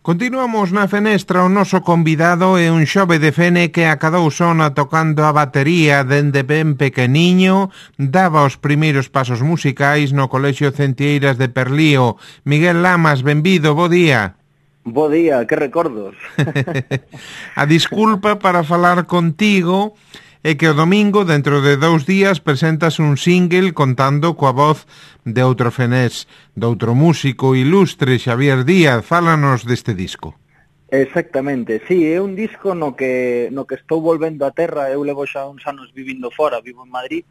Continuamos na fenestra, o noso convidado é un xove de Fene que acadou sona tocando a batería dende ben pequeniño, daba os primeiros pasos musicais no Colexio Centieiras de Perlío. Miguel Lamas, benvido, bo día. Bo día, que recordos. A disculpa para falar contigo é que o domingo, dentro de 2 días, presentas un single contando coa voz de outro fenés, de outro músico ilustre, Xavier Díaz. Fálanos deste disco. Exactamente, sí, é un disco no que estou volvendo a terra. Eu levo xa uns anos vivindo fora, vivo en Madrid,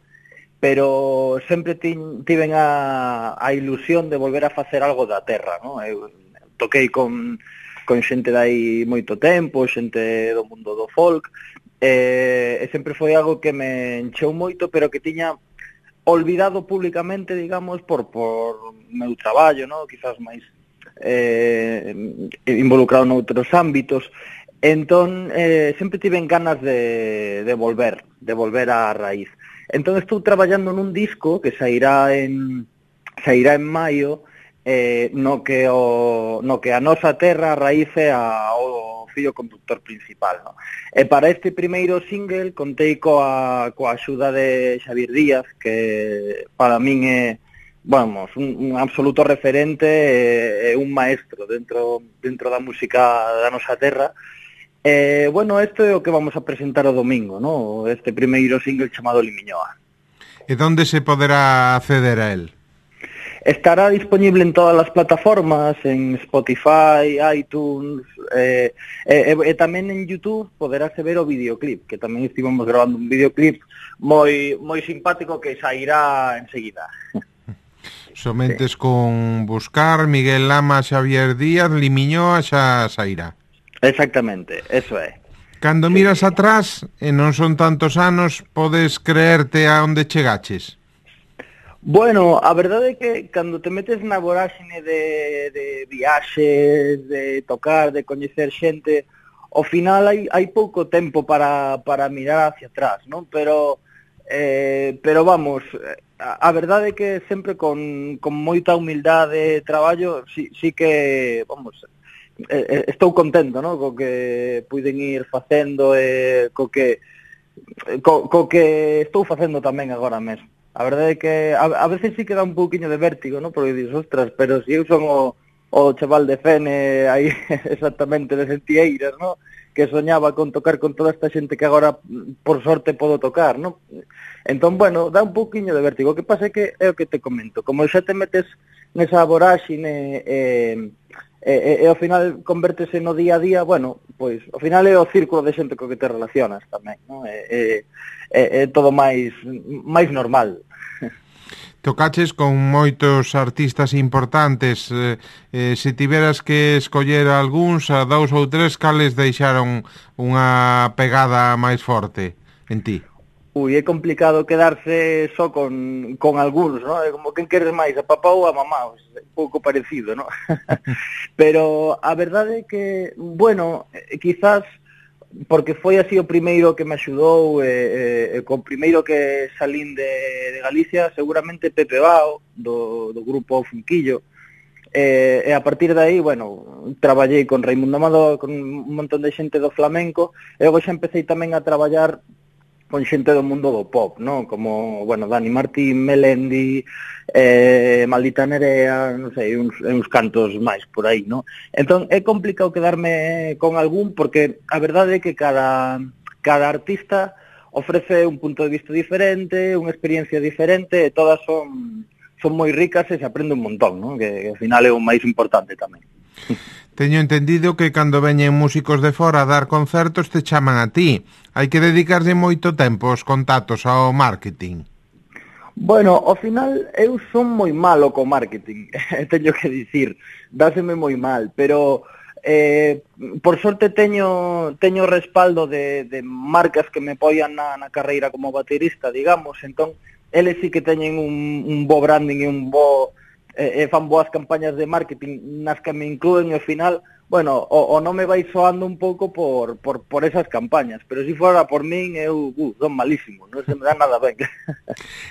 pero sempre tiven a ilusión de volver a facer algo da terra, non? Eu toquei con xente dai moito tempo, xente do mundo do folk, e sempre foi algo que me encheu moito, pero que tiña olvidado públicamente, digamos, por meu traballo, ¿no? Quizás máis involucrado noutros ámbitos. Entón, sempre tiven ganas de volver á raíz. Entón, estou traballando nun disco que sairá en maio, no que a nosa terra a raíz é o fío conductor principal, no? E para este primeiro single contei coa axuda de Xavier Díaz, que para min é, vamos, un absoluto referente e un maestro dentro da música da nosa terra. Bueno, isto é o que vamos a presentar o domingo, no? Este primeiro single chamado Limiñoa. E onde se poderá acceder a él? Estará disponible en todas as plataformas, en Spotify, iTunes, e tamén en YouTube poderase ver o videoclip, que tamén estivemos grabando un videoclip moi simpático que sairá enseguida. Somentes sí. Con buscar Miguel Lamas, Xavier Díaz, Limiñoa xa sairá. Exactamente, eso é. Cando miras atrás, e non son tantos anos, podes creerte a onde chegaches? Bueno, a verdade é que cando te metes na voráxine de viaxes, de tocar, de coñecer xente, ao final hai pouco tempo para mirar hacia atrás, non? Pero vamos, a verdade é que sempre con moita humildade de traballo, sí que, vamos, estou contento, non? Co que puiden ir facendo e co que estou facendo tamén agora mesmo. A verdade é que a veces sí que dá un pouquiño de vértigo, ¿no? Porque dices, ostras, pero si eu son o chaval de Fene aí exactamente de Sentieiras, ¿no? Que soñaba con tocar con toda esta xente que agora por sorte podo tocar, ¿no? Entón, bueno, dá un pouquiño de vértigo. O que pasa é que é o que te comento, como xa te metes nesa voráxine e ao final convértese no día a día, bueno, pois ao final é o círculo de xente co que te relacionas tamén, non? É todo máis normal. Tocaches con moitos artistas importantes, se tiveras que escoller algúns, a 2 ou 3, cales deixaron unha pegada máis forte en ti? Ui, é complicado quedarse só con algúns, ¿no? É como quen queres máis, a papá ou a mamá, é un pouco parecido, ¿no? Pero a verdade é que, bueno, quizás porque foi así o primeiro que me axudou, co primeiro que salín de Galicia, seguramente Pepe Bao, do grupo Funquillo, e a partir de aí, bueno, traballei con Raimundo Amador, con un montón de xente do flamenco, e logo xa empecé tamén a traballar con xente do mundo do pop, ¿no? Como, bueno, Dani Martín, Melendi, Maldita Nerea, non sei, uns cantos máis por aí, ¿no? Entón, é complicado quedarme con algún, porque a verdade é que cada artista ofrece un punto de vista diferente, unha experiencia diferente, e todas son moi ricas e se aprende un montón, ¿no? Que ao final é o máis importante tamén. Teño entendido que cando veñen músicos de fora a dar concertos te chaman a ti. Hai que dedicarlle moito tempo aos contactos, ao marketing. Bueno, ao final eu son moi malo co marketing, teño que dicir, dáseme moi mal, pero por sorte teño respaldo de marcas que me apoian na carreira como baterista, digamos, entón eles sí que teñen un bo branding e un bo fan boas campañas de marketing nas que me inclúen e ao final bueno, o non me vai soando un pouco por esas campañas, pero se fora por min, eu son malísimo, non se me dá nada ben.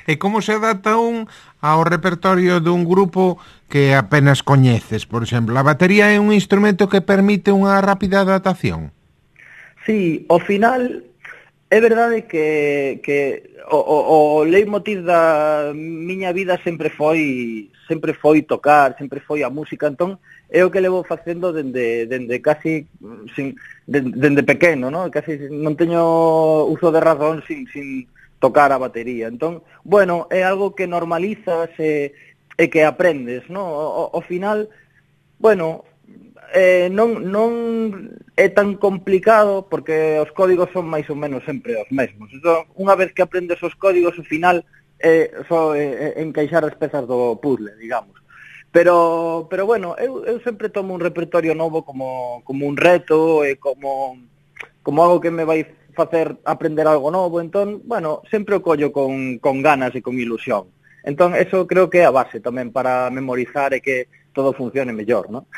E como se adapta un ao repertorio dun grupo que apenas coñeces, por exemplo? A batería é un instrumento que permite unha rápida adaptación? Sí, ao final é verdade que o leitmotiv da miña vida sempre foi tocar, sempre foi a música, entón é o que levo facendo dende casi dende pequeno, ¿no? Casi non teño uso de razón sin tocar a batería. Entón, bueno, é algo que normalizas e que aprendes, ¿no? Ao final, bueno, non é tan complicado porque os códigos son máis ou menos sempre os mesmos. Entón, unha vez que aprendes os códigos, ao final só encaixar as pezas do puzzle, digamos. Pero bueno, eu sempre tomo un repertorio novo como un reto e como algo que me vai facer aprender algo novo. Entón, bueno, sempre o collo con ganas e con ilusión. Entón, eso creo que é a base tamén para memorizar e que todo funcione mellor, ¿no?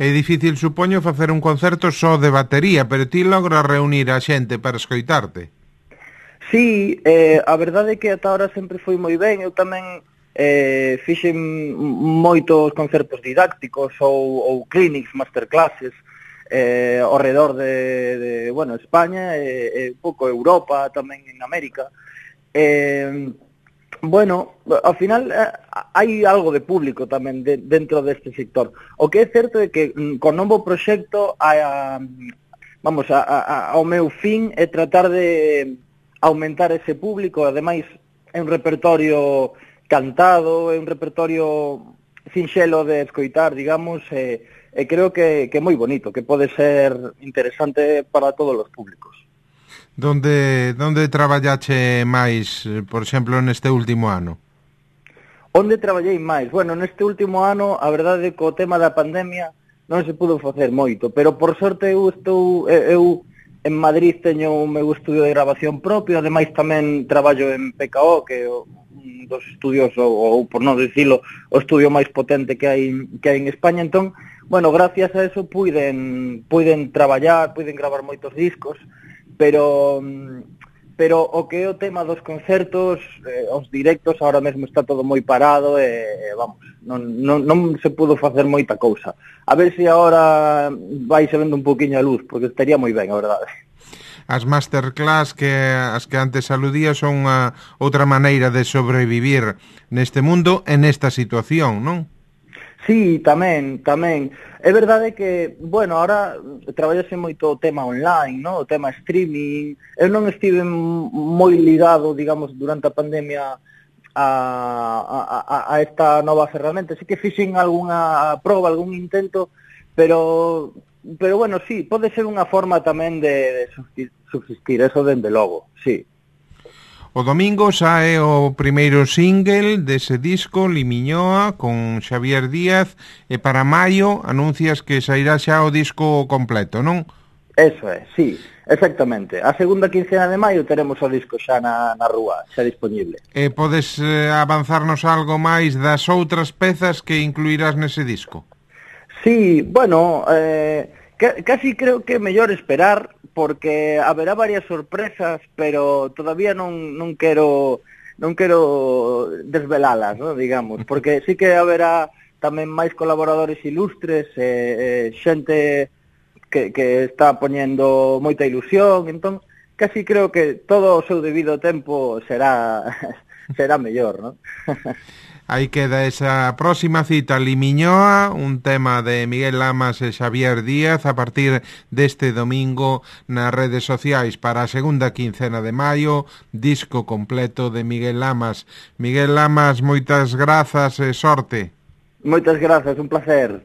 É difícil, supoño, facer un concerto só de batería, pero ti logras reunir a xente para escoitarte. Sí, a verdade é que ata ahora sempre foi moi ben. Eu tamén fixen moitos concertos didácticos ou clinics, masterclasses ao redor de España e un pouco Europa, tamén en América. Bueno, ao final hai algo de público tamén dentro deste sector. O que é certo é que con novo proxecto ao meu fin é tratar de aumentar ese público. Ademais é un repertorio cantado, é un repertorio sinxelo de escoitar, digamos, e creo que é moi bonito, que pode ser interesante para todos os públicos. Donde traballache máis, por exemplo, neste último ano? Onde traballei máis? Bueno, neste último ano, a verdade é que o tema da pandemia non se pudo facer moito, pero por sorte eu en Madrid teño o meu estudio de grabación propio, ademais tamén traballo en PKO, que é un dos estudios, ou por non dicilo, o estudio máis potente que hai en España. Entón, bueno, gracias a eso puiden traballar, puiden gravar moitos discos, pero o que é o tema dos concertos, os directos, ahora mesmo está todo moi parado e vamos, non se pudo facer moita cousa. A ver se agora vai se vendo un poquinho a luz, porque estaría moi ben, a verdade. As masterclass as que antes aludía son outra maneira de sobrevivir neste mundo e nesta situación, non? Sí, tamén. É verdade que, bueno, ahora traballase moito o tema online, ¿no? O tema streaming. Eu non estive moi ligado, digamos, durante a pandemia a esta nova ferramenta. Sí que fixen algunha proba, algún intento, pero bueno, sí, pode ser unha forma tamén de subsistir, eso dende logo, sí. O domingo sae o primeiro single dese disco, Limiñoa, con Xavier Díaz, e para maio anuncias que sairá xa o disco completo, non? Eso é, sí, exactamente. A segunda quincena de maio teremos o disco xa na rúa, xa disponible. E podes avanzarnos algo máis das outras pezas que incluirás nese disco? Sí, bueno, casi creo que é mellor esperar, porque haberá varias sorpresas, pero todavía non quero desvelalas, ¿no? Digamos, porque sí que haberá tamén máis colaboradores ilustres, xente que está poñendo moita ilusión. Entón, casi creo que todo o seu debido tempo será mellor, ¿no? Aí queda esa próxima cita, Limiñoa, un tema de Miguel Lamas e Xavier Díaz a partir deste domingo nas redes sociais para a segunda quincena de maio, disco completo de Miguel Lamas. Miguel Lamas, moitas grazas e sorte. Moitas grazas, un placer.